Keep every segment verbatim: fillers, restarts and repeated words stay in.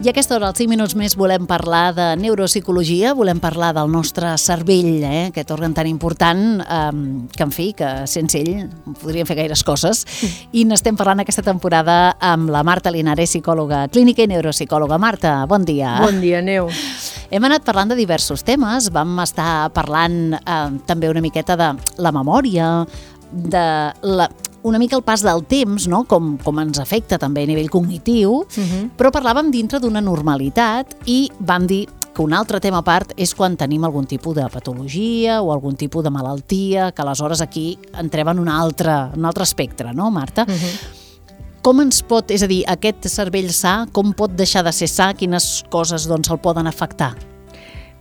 I a aquesta hora, als cinc minuts més, volem parlar de neuropsicologia, volem parlar del nostre cervell, eh? Aquest òrgan tan important, eh, que en fi, que sense ell podríem fer gaires coses. I n'estem parlant aquesta temporada amb la Marta Linares, psicòloga clínica i neuropsicòloga. Marta, bon dia. Bon dia, Neus. Hem anat parlant de diversos temes, vam estar parlant eh, també una miqueta de la memòria, de la... una mica el pas del temps, no? com, com ens afecta també a nivell cognitiu, uh-huh. però parlàvem dintre d'una normalitat i vam dir que un altre tema a part és quan tenim algun tipus de patologia o algun tipus de malaltia, que aleshores aquí entrem en un altre, un altre espectre, no, Marta? Uh-huh. Com ens pot, és a dir, aquest cervell sa, com pot deixar de ser sa, quines coses doncs, el poden afectar?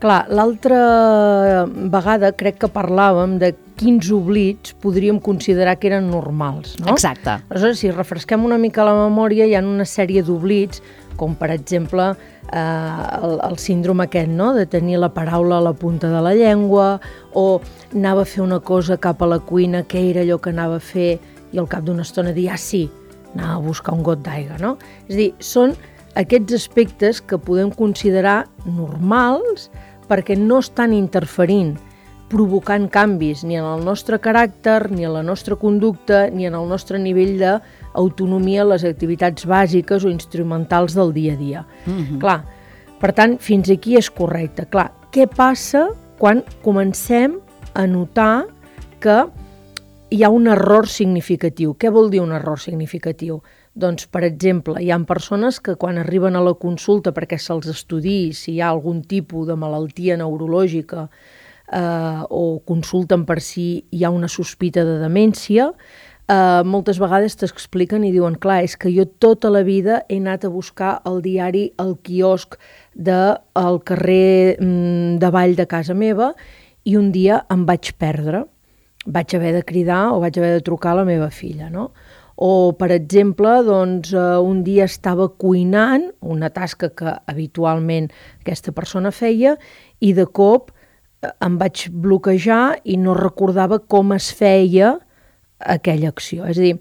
Clar, l'altra vegada crec que parlàvem de quins oblits podríem considerar que eren normals, no? Exacte. Aleshores, si refresquem una mica la memòria, hi ha una sèrie d'oblits, com per exemple eh, el, el síndrome aquest, no?, de tenir la paraula a la punta de la llengua, o anava a fer una cosa cap a la cuina, què era allò que anava a fer, i al cap d'una estona dir, ah, sí, anava a buscar un got d'aigua, no? És a dir, són aquests aspectes que podem considerar normals perquè no estan interferint, provocant canvis ni en el nostre caràcter, ni en la nostra conducta, ni en el nostre nivell d'autonomia a les activitats bàsiques o instrumentals del dia a dia. Mm-hmm. Clar, per tant, fins aquí és correcte. Clar, què passa quan comencem a notar que hi ha un error significatiu? Què vol dir un error significatiu? Doncs, per exemple, hi ha persones que quan arriben a la consulta perquè se'ls estudiï si hi ha algun tipus de malaltia neurològica eh, o consulten per si hi ha una sospita de demència, eh, moltes vegades t'expliquen i diuen, clar, és que jo tota la vida he anat a buscar el diari al quiosc del carrer mm, davall de casa meva i un dia em vaig perdre. Vaig haver de cridar o vaig haver de trucar a la meva filla, no? O, per exemple, doncs, un dia estava cuinant, una tasca que habitualment aquesta persona feia, i de cop em vaig bloquejar i no recordava com es feia aquella acció. És a dir,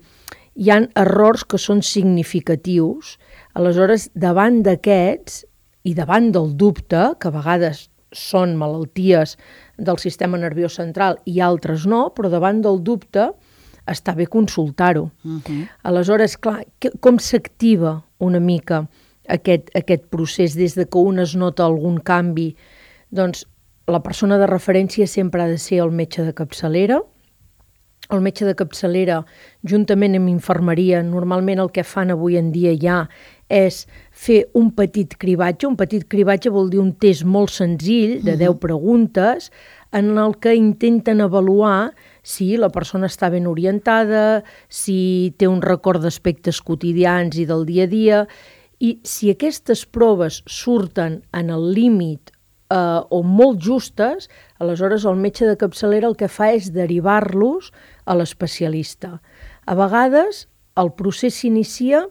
hi ha errors que són significatius, aleshores, davant d'aquests i davant del dubte, que a vegades són malalties del sistema nerviós central i altres no, però davant del dubte està bé consultar-ho. Uh-huh. Aleshores, clar, que, com s'activa una mica aquest, aquest procés des de que un es nota algun canvi? Doncs la persona de referència sempre ha de ser el metge de capçalera. El metge de capçalera, juntament amb infermeria, normalment el que fan avui en dia ja és fer un petit cribatge. Un petit cribatge vol dir un test molt senzill, de deu preguntes, en el que intenten avaluar si la persona està ben orientada, si té un record d'aspectes quotidians i del dia a dia, i si aquestes proves surten en el límit eh, o molt justes, aleshores el metge de capçalera el que fa és derivar-los a l'especialista. A vegades el procés s'inicia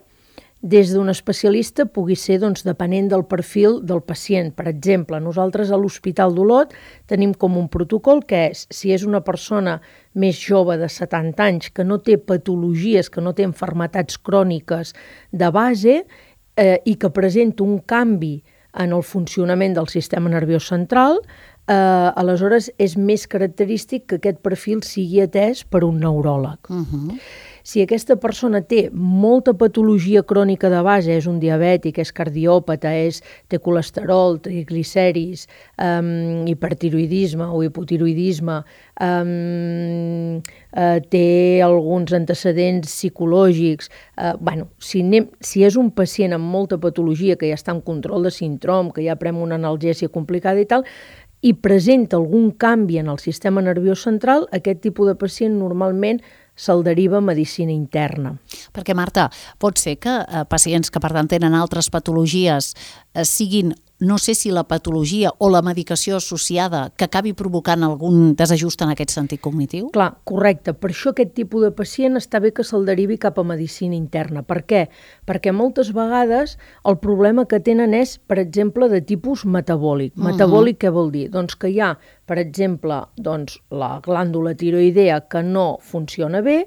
des d'un especialista, pugui ser doncs, depenent del perfil del pacient. Per exemple, nosaltres a l'Hospital d'Olot tenim com un protocol que és, si és una persona més jove de setanta anys que no té patologies, que no té malalties cròniques de base eh, i que presenta un canvi en el funcionament del sistema nerviós central, eh, aleshores és més característic que aquest perfil sigui atès per un neuròleg. Uh-huh. Si aquesta persona té molta patologia crònica de base, és un diabètic, és cardiòpata, és, té colesterol, triglicèrids, um, hipertiroidisme o hipotiroidisme, um, uh, té alguns antecedents psicològics, uh, bueno, si, anem, si és un pacient amb molta patologia que ja està en control de síndrom, que ja pren una analgèsia complicada i tal, i presenta algun canvi en el sistema nerviós central, aquest tipus de pacient normalment se'l deriva a medicina interna. Perquè, Marta, pot ser que eh, pacients que, per tant, tenen altres patologies eh, siguin, no sé si la patologia o la medicació associada que acabi provocant algun desajust en aquest sentit cognitiu? Clar, correcte. Per això aquest tipus de pacient està bé que se'l derivi cap a medicina interna. Per què? Perquè moltes vegades el problema que tenen és, per exemple, de tipus metabòlic. Uh-huh. Metabòlic què vol dir? Doncs que hi ha, per exemple, doncs, la glàndula tiroidea que no funciona bé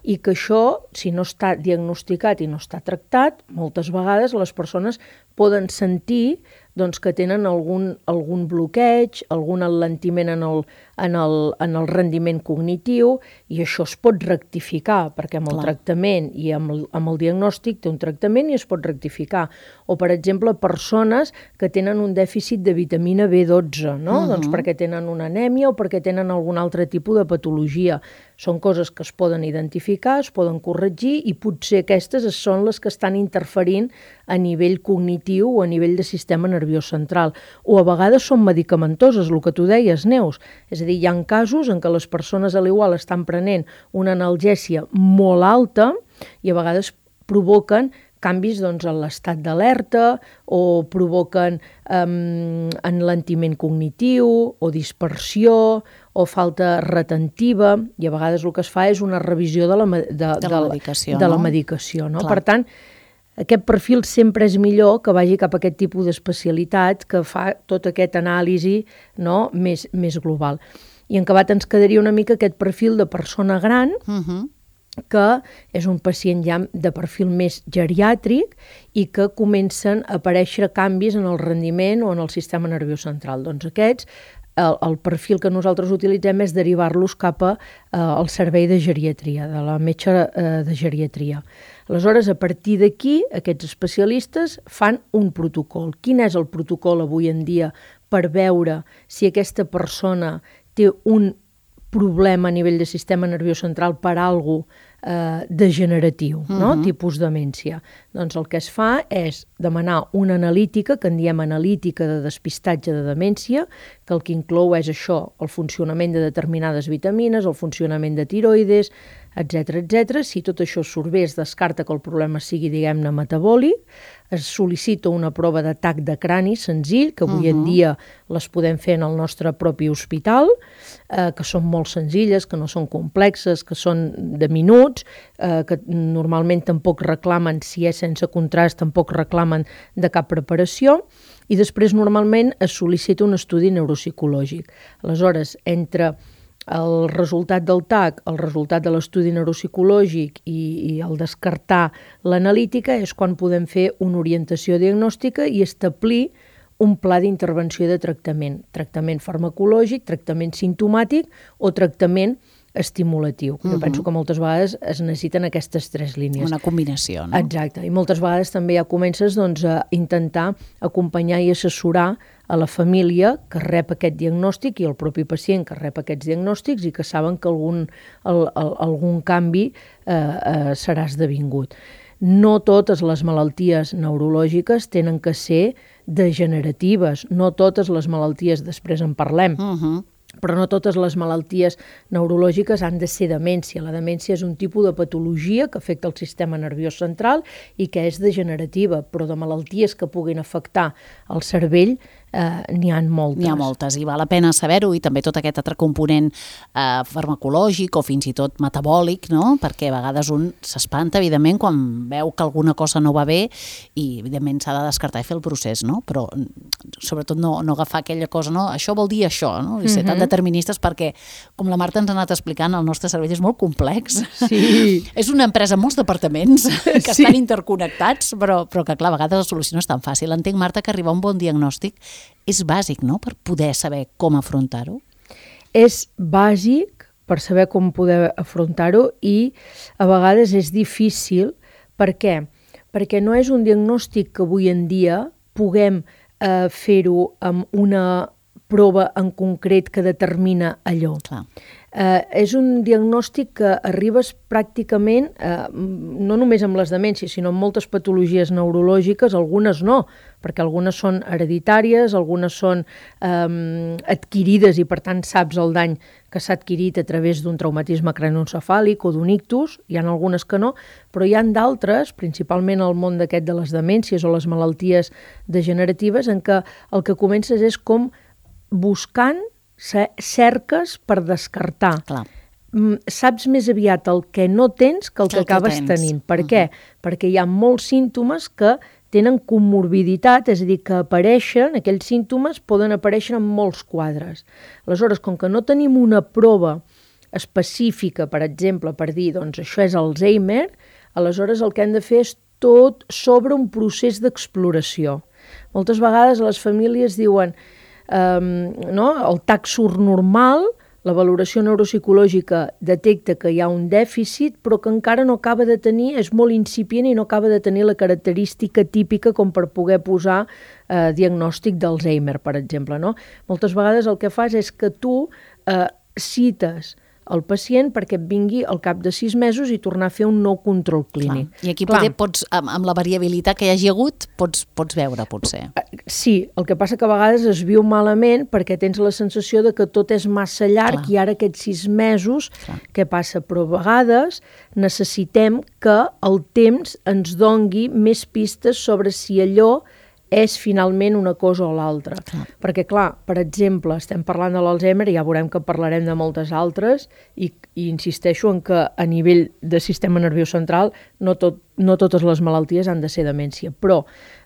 i que això, si no està diagnosticat i no està tractat, moltes vegades les persones poden sentir doncs, que tenen algun, algun bloqueig, algun alentiment en el, en, el, en el rendiment cognitiu, i això es pot rectificar, perquè amb el Clar. tractament i amb el, amb el diagnòstic té un tractament i es pot rectificar. O, per exemple, persones que tenen un dèficit de vitamina B dotze, no? Uh-huh. Doncs perquè tenen una anèmia o perquè tenen algun altre tipus de patologia. Són coses que es poden identificar, es poden corregir, i potser aquestes són les que estan interferint a nivell cognitiu o a nivell de sistema nerviós central. O a vegades són medicamentoses, el que tu deies, Neus. És a dir, hi ha casos en què les persones a l'igual estan prenent una analgèsia molt alta i a vegades provoquen canvis doncs, en l'estat d'alerta o provoquen um, enlentiment cognitiu o dispersió o falta retentiva, i a vegades el que es fa és una revisió de la, de, de de la medicació. De no? la medicació no? Per tant, aquest perfil sempre és millor que vagi cap a aquest tipus d'especialitat que fa tot aquest anàlisi, no? més, més global. I en acabat ens quedaria una mica aquest perfil de persona gran, uh-huh. que és un pacient ja de perfil més geriàtric i que comencen a aparèixer canvis en el rendiment o en el sistema nerviós central. Doncs aquests, el, el perfil que nosaltres utilitzem és derivar-los cap a, eh, al servei de geriatria, de la metge eh, de geriatria. Aleshores, a partir d'aquí, aquests especialistes fan un protocol. Quin és el protocol avui en dia per veure si aquesta persona té un problema a nivell de sistema nerviós central per algo eh, degeneratiu, uh-huh. no? Tipus demència? Doncs el que es fa és demanar una analítica, que en diem analítica de despistatge de demència, que el que inclou és això, el funcionament de determinades vitamines, el funcionament de tiroides, etcètera, etcètera. Si tot això surt bé, es descarta que el problema sigui, diguem-ne, metabòlic, es sol·licita una prova d'atac de crani senzill, que avui uh-huh. en dia les podem fer en el nostre propi hospital, eh, que són molt senzilles, que no són complexes, que són de minuts, eh, que normalment tampoc reclamen, si és sense contrast, tampoc reclamen de cap preparació, i després normalment es sol·licita un estudi neuropsicològic. Aleshores, entre el resultat del T A C, el resultat de l'estudi neuropsicològic i, i el descartar l'analítica és quan podem fer una orientació diagnòstica i establir un pla d'intervenció i de tractament. Tractament farmacològic, tractament simptomàtic o tractament estimulatiu. Jo uh-huh. penso que moltes vegades es necessiten aquestes tres línies. Una combinació, no? Exacte. I moltes vegades també ja comences doncs, a intentar acompanyar i assessorar a la família que rep aquest diagnòstic i el propi pacient que rep aquests diagnòstics i que saben que algun, el, el, algun canvi eh, eh, serà esdevingut. No totes les malalties neurològiques tenen que ser degeneratives, no totes les malalties, després en parlem, uh-huh. però no totes les malalties neurològiques han de ser demència. La demència és un tipus de patologia que afecta el sistema nerviós central i que és degenerativa, però de malalties que puguin afectar el cervell eh, n'hi ha moltes. N'hi ha moltes i val la pena saber-ho, i també tot aquest altre component eh, farmacològic o fins i tot metabòlic, no? Perquè a vegades un s'espanta, evidentment, quan veu que alguna cosa no va bé i, evidentment, s'ha de descartar i fer el procés, no? Però, sobretot, no, no agafar aquella cosa, no? Això vol dir això, no? I ser tan deterministes perquè, com la Marta ens ha anat explicant, el nostre cervell és molt complex. Sí. És una empresa amb molts departaments que sí. estan interconnectats, però, però que, clar, a vegades la solució no és tan fàcil. Entenc, Marta, que arribar a un bon diagnòstic és bàsic, no?, per poder saber com afrontar-ho. És bàsic per saber com poder afrontar-ho i a vegades és difícil. Per què? Perquè no és un diagnòstic que avui en dia puguem eh, fer-ho amb una prova en concret que determina allò. Clar. Eh, és un diagnòstic que arribes pràcticament, eh, no només amb les demències, sinó amb moltes patologies neurològiques, algunes no, perquè algunes són hereditàries, algunes són eh, adquirides i per tant saps el dany que s'ha adquirit a través d'un traumatisme cranioencefàlic o d'un ictus, hi ha algunes que no, però hi ha d'altres, principalment al món d'aquest de les demències o les malalties degeneratives, en què el que comences és com buscant cerques per descartar. Clar. Saps més aviat el que no tens que el que, que acabes tens. tenint. Per uh-huh. què? Perquè hi ha molts símptomes que tenen comorbiditat, és a dir, que apareixen, aquells símptomes poden aparèixer en molts quadres. Aleshores, com que no tenim una prova específica, per exemple, per dir, doncs això és Alzheimer, aleshores el que hem de fer és tot sobre un procés d'exploració. Moltes vegades les famílies diuen um, no? el T A C surt normal, la valoració neuropsicològica detecta que hi ha un dèficit, però que encara no acaba de tenir, és molt incipient i no acaba de tenir la característica típica com per poder posar eh, diagnòstic d'Alzheimer, per exemple. No? Moltes vegades el que fas és que tu eh, cites el pacient perquè et vingui al cap de sis mesos i tornar a fer un nou control clínic. Clar. I aquí poder, pots, amb, amb la variabilitat que hi hagi hagut, pots, pots veure, potser. Sí, el que passa que a vegades es viu malament perquè tens la sensació de que tot és massa llarg. Clar. I ara aquests sis mesos, Clar. Què passa? Però a vegades necessitem que el temps ens dongui més pistes sobre si allò és finalment una cosa o l'altra. Clar. Perquè, clar, per exemple, estem parlant de l'Alzheimer i ja veurem que parlarem de moltes altres i, i insisteixo en que a nivell de sistema nerviós central no, tot, no totes les malalties han de ser demència, però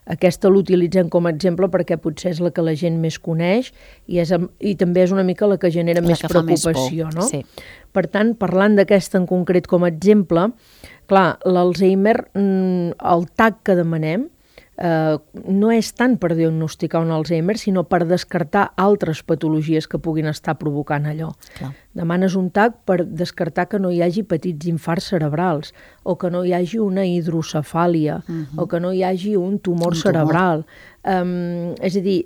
aquesta l'utilitzem com a exemple perquè potser és la que la gent més coneix i, és, i també és una mica la que genera la més que preocupació. Més no? Sí. Per tant, parlant d'aquesta en concret com a exemple, clar, l'Alzheimer, el T A C que demanem, Uh, no és tant per diagnosticar un Alzheimer, sinó per descartar altres patologies que puguin estar provocant allò. Clar. Demanes un T A C per descartar que no hi hagi petits infarts cerebrals, o que no hi hagi una hidrocefàlia, uh-huh. o que no hi hagi un tumor un cerebral. Tumor. Um, és a dir,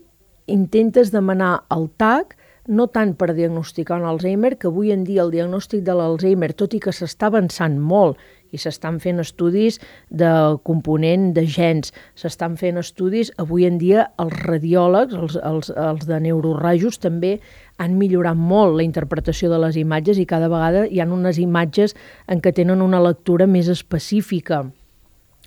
intentes demanar el T A C no tant per diagnosticar un Alzheimer, que avui en dia el diagnòstic de l'Alzheimer, tot i que s'està avançant molt, i s'estan fent estudis de component de gens, s'estan fent estudis, avui en dia els radiòlegs, els, els, els de neurorajos també han millorat molt la interpretació de les imatges i cada vegada hi ha unes imatges en què tenen una lectura més específica.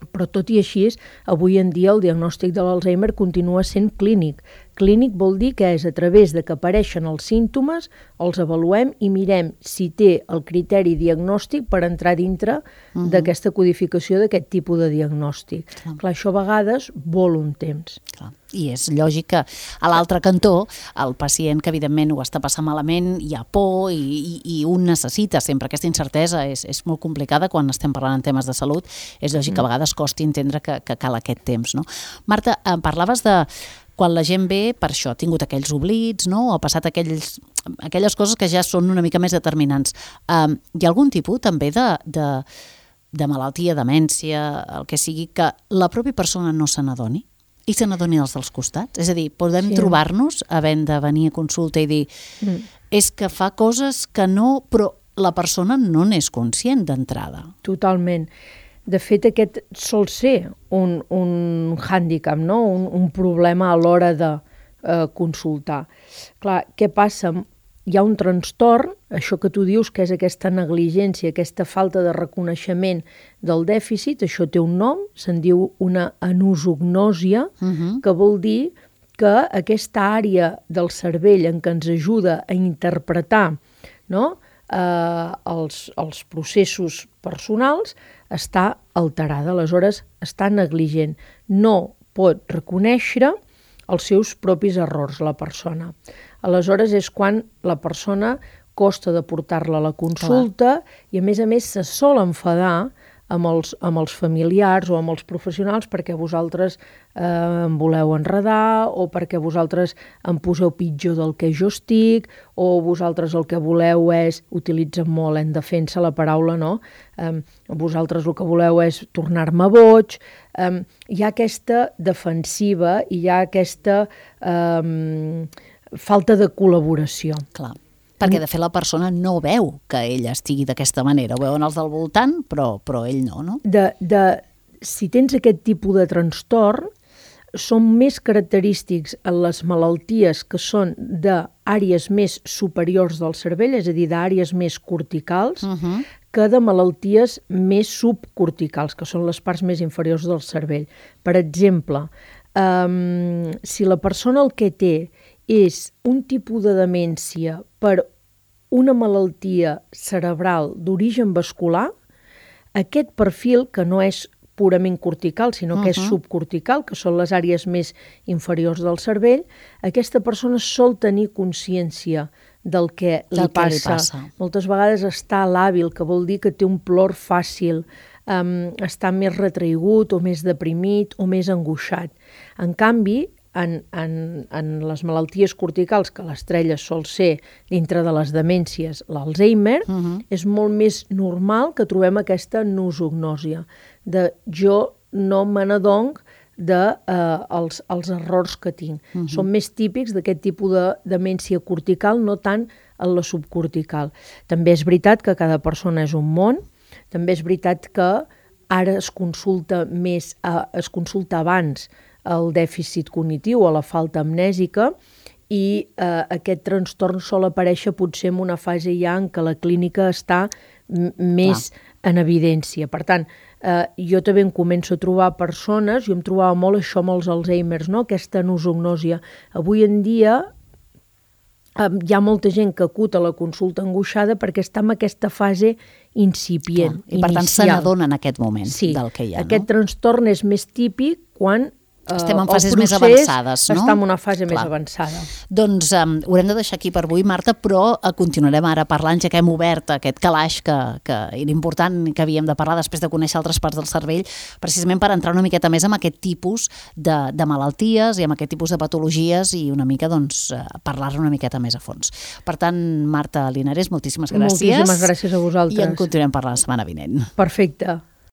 Però tot i així, avui en dia el diagnòstic de l'Alzheimer continua sent clínic. Clínic vol dir que és a través de que apareixen els símptomes, els avaluem i mirem si té el criteri diagnòstic per entrar dintre uh-huh. d'aquesta codificació d'aquest tipus de diagnòstic. Clar. Clar, això a vegades vol un temps. Clar. I és lògic que a l'altre cantó el pacient que evidentment ho està passant malament, hi ha por i, i, i un necessita sempre aquesta incertesa, és, és molt complicada quan estem parlant en temes de salut, és lògic que a vegades costi entendre que, que cal aquest temps. No? Marta, em parlaves de quan la gent ve per això, ha tingut aquells oblits, no? O ha passat aquells, aquelles coses que ja són una mica més determinants. Um, hi ha algun tipus també de, de, de malaltia, demència, el que sigui, que la pròpia persona no se n'adoni? I se n'adoni els dels costats? És a dir, podem sí. trobar-nos havent de venir a consulta i dir mm. és que fa coses que no, però la persona no n'és conscient d'entrada. Totalment. De fet, aquest sol ser un, un hàndicap, no? un, un problema a l'hora de eh, consultar. Clar, què passa? Hi ha un trastorn, això que tu dius que és aquesta negligència, aquesta falta de reconeixement del dèficit, això té un nom, se'n diu una anosognòsia, uh-huh. que vol dir que aquesta àrea del cervell en què ens ajuda a interpretar no, eh, els, els processos personals està alterada, aleshores està negligent, no pot reconèixer els seus propis errors, la persona. Aleshores és quan la persona costa de portar-la a la consulta Clar. I a més a més se sol enfadar amb els, amb els familiars o amb els professionals perquè vosaltres eh, em voleu enredar o perquè vosaltres em poseu pitjor del que jo estic o vosaltres el que voleu és, utilitzen molt en defensa la paraula, no? Eh, vosaltres el que voleu és tornar-me boig. Eh, hi ha aquesta defensiva i hi ha aquesta eh, falta de col·laboració. Clar. Perquè, de fet, la persona no veu que ell estigui d'aquesta manera. Ho veuen els del voltant, però, però ell no, no? De, de, si tens aquest tipus de trastorn, són més característics en les malalties que són d'àrees més superiors del cervell, és a dir, d'àrees més corticals, uh-huh. que de malalties més subcorticals, que són les parts més inferiors del cervell. Per exemple, um, si la persona el que té és un tipus de demència per una malaltia cerebral d'origen vascular, aquest perfil, que no és purament cortical, sinó que uh -huh. és subcortical, que són les àrees més inferiors del cervell, aquesta persona sol tenir consciència del que, del li, que passa. li passa. Moltes vegades està làbil, que vol dir que té un plor fàcil, um, està més retraigut o més deprimit o més angoixat. En canvi, en, en, en les malalties corticals, que l'estrella sol ser dintre de les demències, l'Alzheimer, uh -huh. és molt més normal que trobem aquesta nosognòsia, de jo no me n'adonc de eh, els, els errors que tinc. Uh -huh. Són més típics d'aquest tipus de demència cortical, no tant en la subcortical. També és veritat que cada persona és un món, també és veritat que ara es consulta més, eh, es consulta abans el dèficit cognitiu o la falta amnèsica i eh, aquest trastorn sol aparèixer potser en una fase ja en què la clínica està més Clar. en evidència. Per tant, eh, jo també em començo a trobar persones, jo em trobava molt això amb els Alzheimers, no? Aquesta nosognòsia. Avui en dia eh, hi ha molta gent que acut a la consulta angoixada perquè està en aquesta fase incipient, Clar. I per inicial. tant se n'adona en aquest moment sí, del que hi ha. Aquest no? trastorn és més típic quan estem en fases més avançades, no? Està en una fase Clar. més avançada. Doncs um, ho haurem de deixar aquí per avui, Marta, però uh, continuarem ara parlant, ja que hem obert aquest calaix que, que era important que havíem de parlar després de conèixer altres parts del cervell, precisament per entrar una miqueta més en aquest tipus de, de malalties i en aquest tipus de patologies i una mica, doncs, uh, parlar-ne una miqueta més a fons. Per tant, Marta Linares, moltíssimes gràcies. Moltíssimes gràcies a vosaltres. I en continuem parlant la setmana vinent. Perfecte.